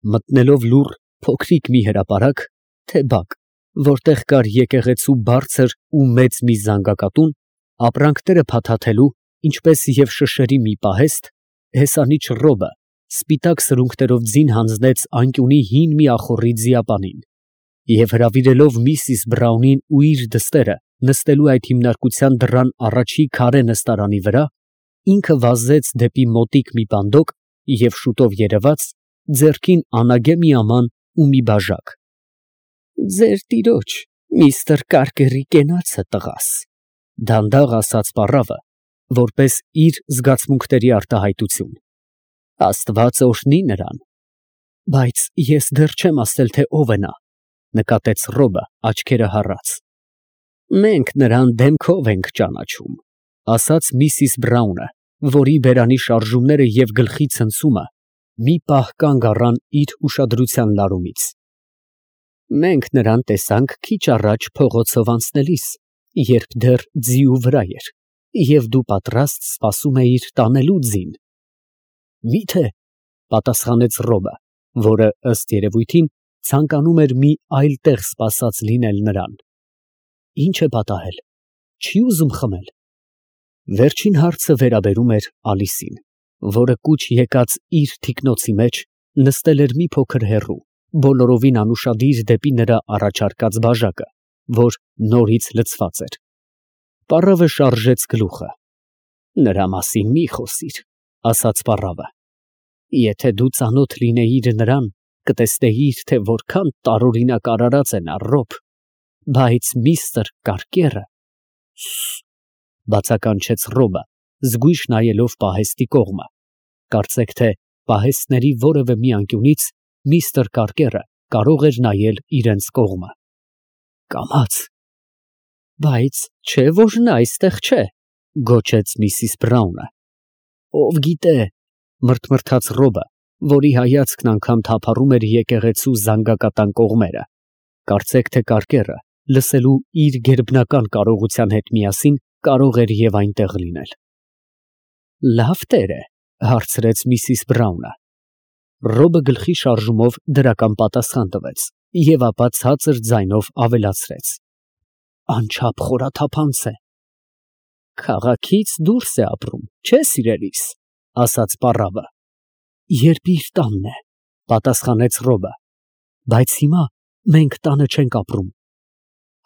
Մտնելով լուռ փոքրիկ մի հրապարակ, թե բակ, որտեղ կար եկեղեցու բարձր ու մեծ մի զանգակատուն, ապրանքները փաթաթելու, ինչպես և շշերի մի պահեստ, հեսանիչ Ռոբը սպիտակ սրունգներով ձին հանձնեց անկյունի հին մի ախոռի ձիապանին և հրավիրելով միսիս Բրաունին ու իր դստերը նստելու այդ հիմնարկության դռան առաջի քարե նստարանի վրա, ինքը վազեց դեպի մոտիկ մի պանդոկ և շուտով երևաց, ձեռքին անագե մի աման ու մի բաժակ։ ֊ Ձեր տիրոջ, միստր Կարկերի կենացը, տղաս, ֊ դանդաղ ասաց պառավը, որպես իր զգացմունքների արտահայտություն։ ֊ Աստված օրհնի նրան։ ֊ Բայց ես դեռ չեմ ասել, թե ով է նա, ֊ նկատեց Ռոբը աչքերը հառած։ ֊ Մենք նրան դեմքով ենք ճանաչում, ֊ ասաց միսիս Բրաունը, որի բերանի շարժումները և գլխի ցնցումը մի պահ կանգ առան իր ուշադրության լարումից։ ֊ Մենք նրան տեսանք քիչ առաջ փողոցով անցնելիս, երբ դեռ ձիու վրա էր, և դու պատրաստ սպասում էիր տանելու ձին։ ֊ Մի՞թե, ֊ պատասխանեց Ռոբը, որը, ըստ երևույթին, ցանկանում էր մի այլ տեղ սպասած լինել նրան։ ֊ Ի՞նչ է պատահել, չի ուզում խմել։ Վերջին հարցը վերաբերում էր Ալիսին, որը կուչ եկած իր թիկնոցի մեջ նստել էր մի փոքր հեռու, բոլորովին անուշադիր դեպի նրա առաջարկած բաժակը, որ նորից լցված էր։ Պառավը շարժեց գլուխը։ ֊ Նրա մասին մի խոսիր, ֊ ասաց պառավը։ ֊ Եթե դու ծանոթ լինեիր նրան, կտեսնեիր, թե որքան տարօրինակ արարած է նա, Ռոբ, բայց միստր Կարկերը… Սը… բացականչեց Ռոբը, զգույշ նայելով պահեստի կողմը, կարծեք թե պահեստների որևէ մի անկյունից միստր Կարկերը կարող էր նայել իրենց կողմը։ Կամաց… Բայց չէ՞ որ նա այստեղ չէ, ֊ գոչեց միսիս Բրաունը։ Ով գիտե, ֊ մռթմռթաց Ռոբը, որի հայացքն անգամ թափառում էր եկեղեցու զանգակատան կողմերը, կարծեք թե Կարկերը, լսելու իր գերբնական կարողության հետ միասին, կարող էր և այնտեղ լինել։ ֊ Լավ տեր է, ֊ հարցրեց միսիս Բրաունը։ Ռոբը գլխի շարժումով դրական պատասխան տվեց և ապա ցածր ձայնով ավելացրեց. ֊ Անչափ խորաթափանց է։ ֊ Քաղաքից դուրս է ապրում, չէ՞, սիրելիս, ֊ ասաց պառավը։ ֊ Երբ իր տանն է, ֊ պատասխանեց Ռոբը։ ֊ Բայց հիմա մենք տանը չենք ապրում։ ֊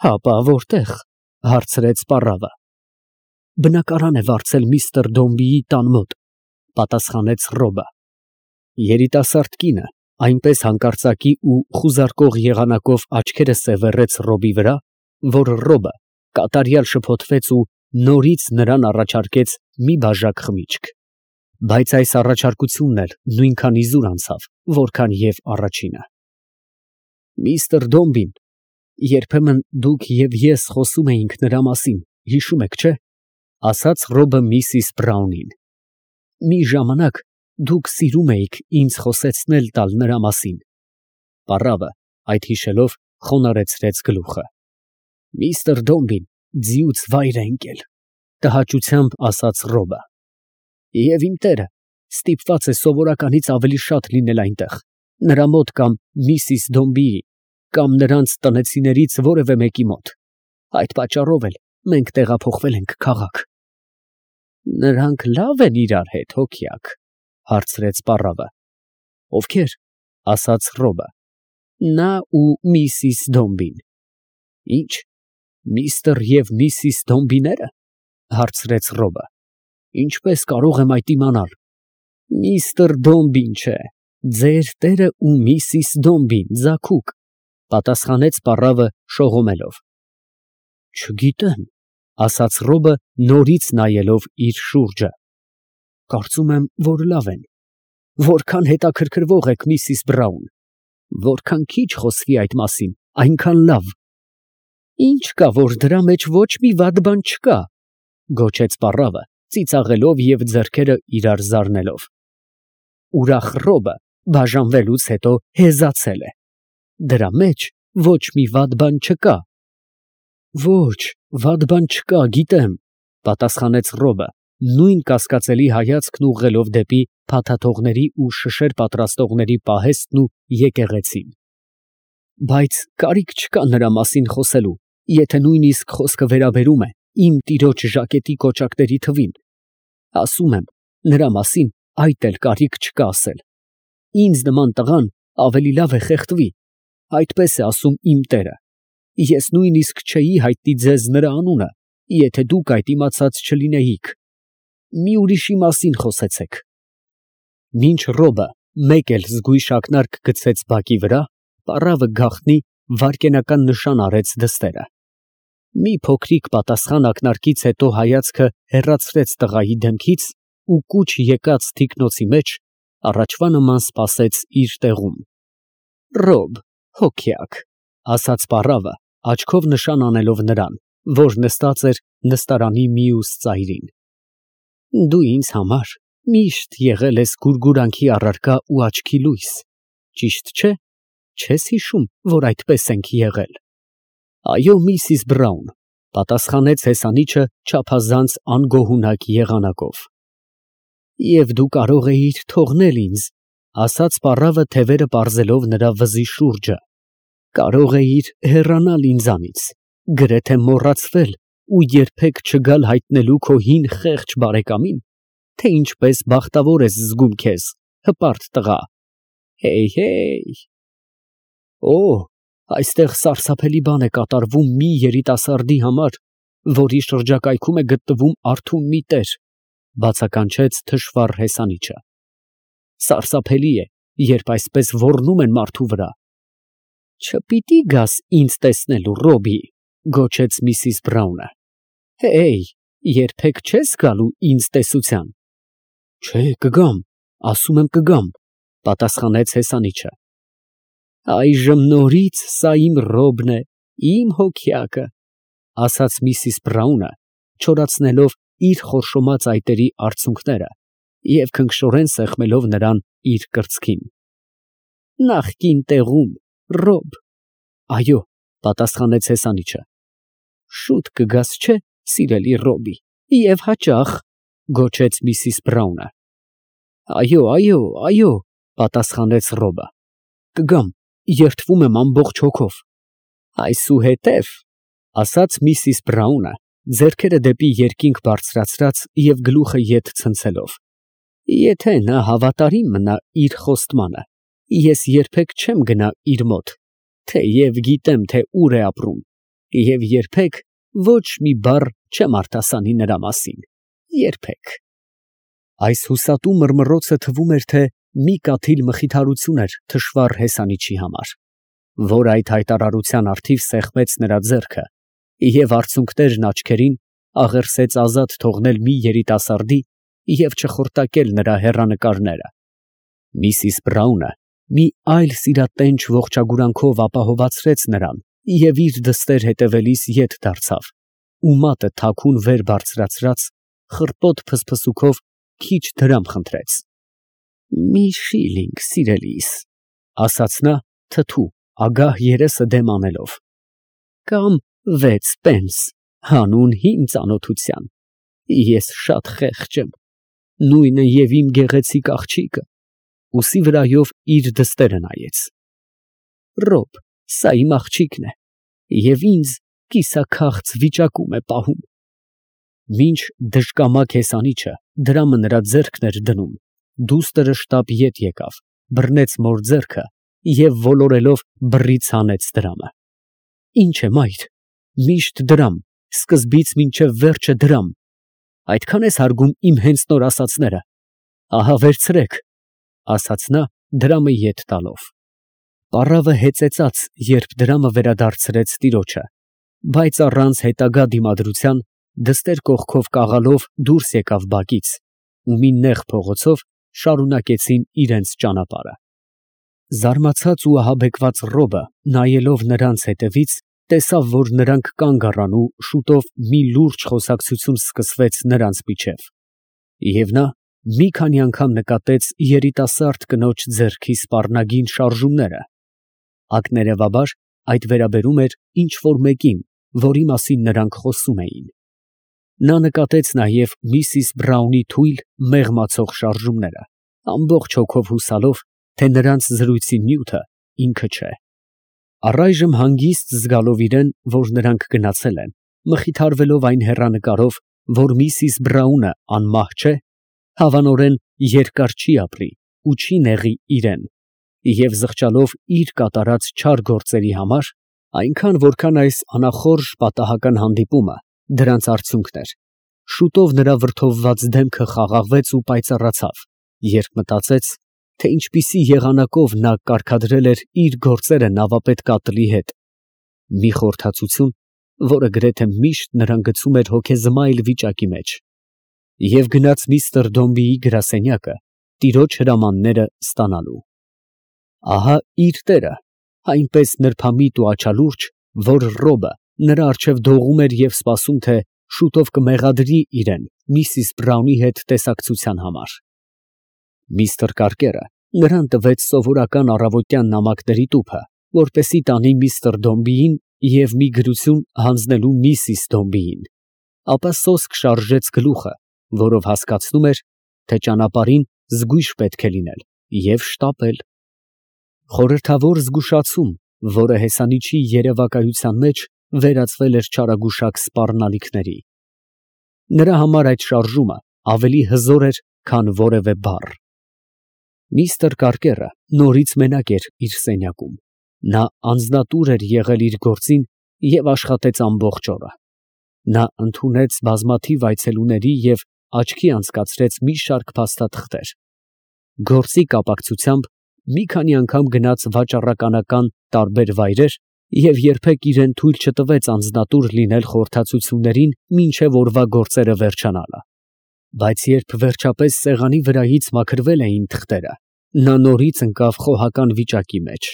Հապա որտե՞ղ, ֊ հարցրեց պառավը։ ֊ Բնակարան է վարձել միստր Դոմբիի տան մոտ, ֊ պատասխանեց Ռոբը։ Երիտասարդ կինը այնպես հանկարծակի ու խուզարկող եղանակով աչքերը սևեռեց Ռոբի վրա, որ Ռոբը կատարյալ շփոթվեց ու նորից նրան առաջարկեց մի բաժակ խմիչք, բայց այս առաջարկությունն էլ նույնքան իզուր անցավ, որքան և առաջինը։ Միստր Դոմբին, երբեմն դուք և ես խոսում էինք նրա մասին, հիշում եք, չէ՞, ֊ ասաց Ռոբը միսիս Բրաունին։ Մի ժամանակ դուք սիրում էիք ինձ խոսեցնել տալ նրա մասին։ Պառավը, այդ հիշելով, խոնարհեցրեց գլուխը։ Միստր Դոմբին ձիուց վայր է ընկել, ֊ տհաճությամբ ասաց Ռոբը։ Եվ իմ տերը ստիպված է սովորականից ավելի շատ լինել այնտեղ, նրա մոտ կամ միսիս Դոմբիի, կամ նրանց տնեցիներից որևէ մեկի մոտ։ Այդ պատճառով էլ մենք տեղափոխվել ենք քաղաք։ ֊ Նրանք լավ են իրար հետ, հոգյակ, ֊ հարցրեց պառավը։ Ովքեր, ֊ ասաց Ռոբը։ Նա ու միսիս Դոմբին։ ֊ Ի՞նչ, միստր և միսիս Դոմբիները, ֊ հարցրեց Ռոբը։ ֊ Ինչպես կարող եմ այդ իմանալ։ ֊ Միստր Դոմբին չէ, ձեր տերը ու միսիս Դոմբին, ձագուկ, ֊ պատասխանեց պառավը շողոմելով։ ֊ Չգիտեմ, ֊ ասաց Ռոբը, նորից նայելով իր շուրջը։ Կարծում եմ, որ լավ են։ Որքան հետաքրքրվող եք, միսիս Բրաուն։ Որքան քիչ խոսվի այդ մասին, այնքան լավ։ Ինչ կա, որ դրա մեջ ոչ մի վատ բան չկա, ֊ գոչեց պառավը, ծիծաղելով և ձեռքերը իրար զարնելով։ Ուրախ Ռոբը բաժանվելուց հետո հեզացել է։ Դրա մեջ ոչ մի վատ բան չկա։ Ոչ, վատ բան չկա, գիտեմ, ֊ պատասխանեց Ռոբը, նույն կասկածելի հայացքն ուղղելով դեպի փաթաթողների ու շշեր պատրաստողների պահեստն ու եկեղեցին։ Բայց կարիք չկա նրա մասին խոսելու, եթե նույնիսկ խոսքը վերաբերում է իմ տիրոջ ժակետի կոճակների թվին։ Ասում եմ, նրա մասին այդ էլ կարիք չկա ասել։ Ինձ նման տղան ավելի լավ է խեղդվի, այդպես է ասում իմ տերը։ Ես նույնիսկ չէի հայտնի ձեզ նրա անունը, եթե դուք այդ իմացած չլինեիք։ Մի ուրիշի մասին խոսեցեք։ Մինչ Ռոբը մեկ էլ զգույշ ակնարկ գցեց բակի վրա, պառավը գաղտնի վայրկենական նշան արեց դստերը։ Մի փոքրիկ պատասխան ակնարկից հետո հայացքը հեռացրեց տղայի դեմքից ու կուչ եկած թիկնոցի մեջ առաջվա նման սպասեց իր տեղում։ Ռոբ, հոգյակ, ասաց պառավը, աչքով նշան անելով նրան, որ նստած էր նստարանի մյուս ծայրին։ Դու ինձ համար միշտ եղել ես գուրգուրանքի առարկա ու աչքի լույս, ճիշտ չէ՞։ Չես հիշում, որ այդպես ենք եղել։ Այո, միսիս Բրաուն, պատասխանեց հեսանիչը չափազանց անգոհունակ եղանակով։ Եվ դու կարող էիր թողնել ինձ, ասաց պառավը թևերը պարզելով նրա վզի շուրջը։ Կարող էիր հեռանալ ինձանից, գրեթե մոռացվել ու երբեք չգալ հայտնելու քո հին խեղճ բարեկամին, թե ինչպես բախտավոր ես զգում քեզ, հպարտ տղա։ Հեյ։ Օ, այստեղ սարսափելի բան է կատարվում մի երիտասարդի համար, որի շրջակայքում է գտնվում արթուն մի տեր, բացականչեց թշվառ հեսանիչը։ Սարսափելի է, երբ այսպես ոռնում են մարդու վրա։ Չպիտի գաս ինձ տեսնելու, Ռոբի, գոչեց միսիս Բրաունը։ Հեյ, երբեք չես գալու ինձ տեսության։ Չէ, կգամ, ասում եմ կգամ, պատասխանեց հեսանիչը։ Այժմ նորից սա իմ Ռոբն է, իմ հոգյակը, ասաց միսիս Բրաունը, չորացնելով իր խորշոմած այտերի արցունքները և քնքշորեն սեղմելով նրան իր կրծքին։ Նախկին տեղում, Ռոբ։ Այո, պատասխանեց հեսանիչը։ Շուտ կգաս, չէ, սիրելի Ռոբի, և հաճախ, գոչեց միսիս Բրաունը։ Այո, պատասխանեց Ռոբը։ Կգամ, երդվում եմ ամբողջ հոգով։ Այսուհետև, ասաց միսիս Բրաունը, ձեռքերը դեպի երկինք բարձրացրած և գլուխը ետ ցնցելով, եթե նա հավատարիմ մնա իր խոստմանը, ես երբեք չեմ գնա իր մոտ, թեև գիտեմ, թե ուր է ապրում, և երբեք ոչ մի բառ չեմ արտասանի նրա մասին, երբեք։ Այս հուսատու մռմռոցը թվում էր, թե մի կաթիլ մխիթարություն էր թշվառ հեսանիչի համար, որ այդ հայտարարության առթիվ սեղմեց նրա ձեռքը և արցունքներն աչքերին աղերսեց ազատ թողնել մի երիտասարդի և չխորտակել նրա հեռանկարները։ Միսիս Բրաունը մի այլ սիրատենչ ողջագուրանքով ապահովացրեց նրան և իր դստեր հետևելիս ետ դարձավ ու մատը թաքուն վեր բարձրացրած խռպոտ փսփսուքով քիչ դրամ խնդրեց։ Մի շիլինգ, սիրելիս, ասաց նա թթու, ագահ երեսը դեմ անելով, կամ 6 պենս, հանուն հին ծանոթության, ես շատ խեղճ եմ, նույնը և իմ գեղեցիկ աղջիկը, ուսի վրայով իր դստերը նայեց։ Ռոբ, սա իմ աղջիկն է, և ինձ կիսաքաղց վիճակում է պահում։ Մինչ դժկամակ հեսանիչը դրամը նրա ձեռքն էր դնում, դուստրը շտապ ետ եկավ, բռնեց մոր ձեռքը և ոլորելով բռից հանեց դրամը։ Ինչ է, մայր, միշտ դրամ, սկզբից մինչև վերջը դրամ, այդքան ես հարգում իմ հենց նոր ասածները, ահա վերցրեք, ասաց նա դրամը ետ տալով։ Պառավը հեծեծաց, երբ դրամը վերադարձրեց տիրոջը, բայց առանց հետագա դիմադրության դստեր կողքով կաղալով դուրս եկավ բակից ու մի նեղ փողոցով շարունակեցին իրենց ճանապարհը։ Զարմացած ու ահաբեկված Ռոբը, նայելով նրանց հետևից, տեսավ, որ նրանք կանգ առան ու շուտով մի լուրջ խոսակցություն սկսվեց նրանց միջև, և նա մի քանի անգամ նկատեց երիտասարդ կնոջ ձեռքի սպառնագին շարժումները։ Ակներևաբար այդ վերաբերում էր ինչ֊որ մեկին, որի մասին նրանք խոսում էին։ Նա նկատեց նաև միսիս Բրաունի թույլ, մեղմացող շարժումները, ամբողջ հոգով հուսալով, թե նրանց զրույցի նյութը ինքը չէ։ Առայժմ հանգիստ զգալով իրեն, որ նրանք գնացել են, մխիթարվելով այն հեռանկարով, որ Միսիս Բրաունը անմահ չէ, հավանորեն երկար չի ապրի ու չի նեղի իրեն, և զղջալով իր կատարած չար գործերի համար, այնքան որքան այս անախորժ պատահական հանդիպումը դրանց արդյունքն էր, շուտով նրա վրդովված դեմքը խաղաղվեց ու պայծառացավ, երբ մտածեց, թե ինչպիսի եղանակով նա կարգադրել էր իր գործերը նավապետ կատլի հետ, մի խորհրդածություն, որը գրեթե միշտ նրան գցում էր հոգեզմայլ վիճակի մեջ, և գնաց միստր Դոմբիի գրասենյակը տիրոջ հրամանները ստանալու։ Ահա իր տերը, այնպես նրբամիտ ու աչալուրջ, որ Ռոբը նրա առջև դողում էր և սպասում, թե շուտով կմեղադրի իրեն Միսիս Բրաունի հետ տեսակցության համար։ Միստր Կարկերը նրան տվեց սովորական առավոտյան նամակների տուփը, որպեսզի տանի միստր Դոմբիին և մի գրություն հանձնելու Միսիս Դոմբիին, ապա սոսկ շարժեց գլուխը, որով հասկացնում էր, թե ճանապարհին զգույշ պետք է լինել և շտապել։ Խորհրդավոր զգուշացում, որը հեսանիչի երևակայության մեջ վերածվել էր չարագուշակ սպառնալիքների։ Նրա համար այդ շարժումը ավելի հզոր էր, քան որևէ բառ։ Միստր Կարկերը նորից մենակ էր իր սենյակում։ Նա անձնատուր էր եղել իր գործին և աշխատեց ամբողջ օրը։ Նա ընդունեց բազմաթիվ այցելուների և աչքի անցկացրեց մի շարք փաստաթղթեր։ Գործի կապակցությամբ մի քանի անգամ գնաց վաճառականական տարբեր վայրեր և երբեք իրեն թույլ չտվեց անձնատուր լինել խորհրդածություններին մինչև օրվա գործերը վերջանալը։ Բայց երբ վերջապես սեղանի վրայից մաքրվել էին թղթերը, նա նորից ընկավ խոհական վիճակի մեջ։